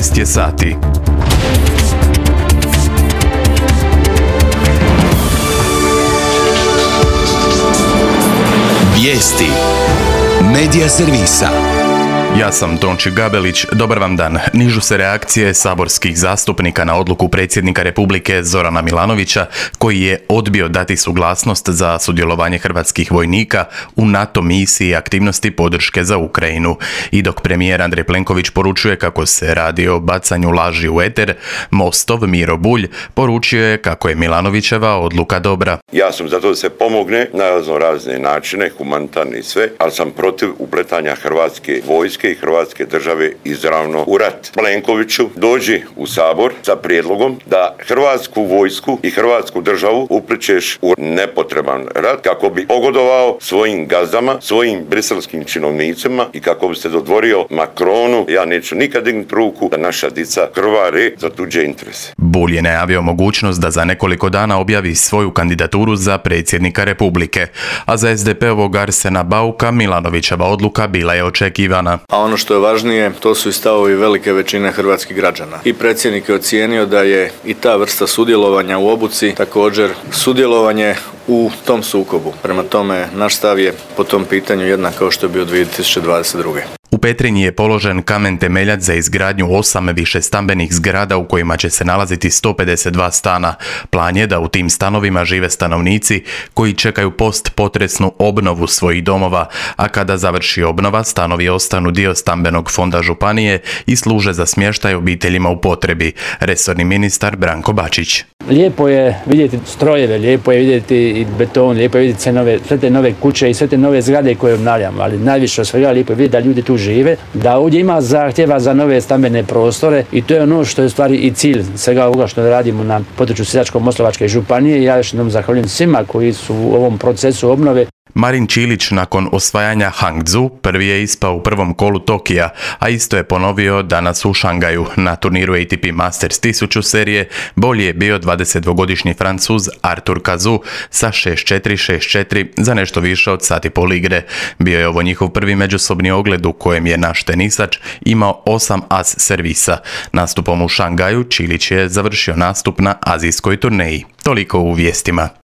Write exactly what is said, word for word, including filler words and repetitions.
četrnaest je sati. Vijesti Medija servisa. Ja sam Tonči Gabelić, dobar vam dan. Nižu se reakcije saborskih zastupnika na odluku predsjednika Republike Zorana Milanovića, koji je odbio dati suglasnost za sudjelovanje hrvatskih vojnika u NATO misiji i aktivnosti podrške za Ukrajinu. I dok premijer Andrej Plenković poručuje kako se radi o bacanju laži u eter, Mostov Miro Bulj poručio je kako je Milanovićeva odluka dobra. Ja sam za to da se pomogne na razne načine, humanitarne i sve, ali sam protiv upletanja hrvatske vojske i hrvatske države izravno u rat. Plenkoviću, dođi u Sabor sa prijedlogom da hrvatsku vojsku i hrvatsku državu upličeš u nepotreban rat kako bi pogodovao svojim gazdama, svojim briselskim činovnicima i kako bi se dodvorio Macronu. Ja neću nikad dignuti ruku da naša dica krvari za tuđe interese. Bulj je najavio mogućnost da za nekoliko dana objavi svoju kandidaturu za predsjednika Republike, a za es de pe-ovog Arsena Bauka Milanovićeva odluka bila je očekivana. A ono što je važnije, to su i stavovi velike većine hrvatskih građana. I predsjednik je ocijenio da je i ta vrsta sudjelovanja u obuci također sudjelovanje u tom sukobu. Prema tome, naš stav je po tom pitanju jednak kao što je bio dvije tisuće dvadeset druge. U Petrinji je položen kamen temeljac za izgradnju osam višestambenih zgrada u kojima će se nalaziti sto pedeset dva stana. Plan je da u tim stanovima žive stanovnici koji čekaju post-potresnu obnovu svojih domova, a kada završi obnova, stanovi ostanu dio stambenog fonda županije i služe za smještaj obiteljima u potrebi. Resorni ministar Branko Bačić. Lijepo je vidjeti strojeve, lijepo je vidjeti i beton, lijepo je vidjeti sve, nove, sve te nove kuće i sve te nove zgrade koje obnavljamo, ali najviše od svega lijepo je vidjeti da ljudi tu žive, da ovdje ima zahtjeva za nove stambene prostore i to je ono što je u stvari i cilj svega ovoga što radimo na području Sisačko-moslavačke županije. Ja još jednom zahvaljujem svima koji su u ovom procesu obnove. Marin Čilić nakon osvajanja Hangzhou prvi je ispao u prvom kolu Tokija, a isto je ponovio danas u Šangaju. Na turniru A T P Masters tisuću serije bolji je bio dvadesetdvogodišnji Francuz Arthur Cazaux sa šest četiri šest četiri za nešto više od sat i pol igre. Bio je ovo njihov prvi međusobni ogled u kojem je naš tenisač imao osam as servisa. Nastupom u Šangaju Čilić je završio nastup na azijskoj turneji. Toliko u vijestima.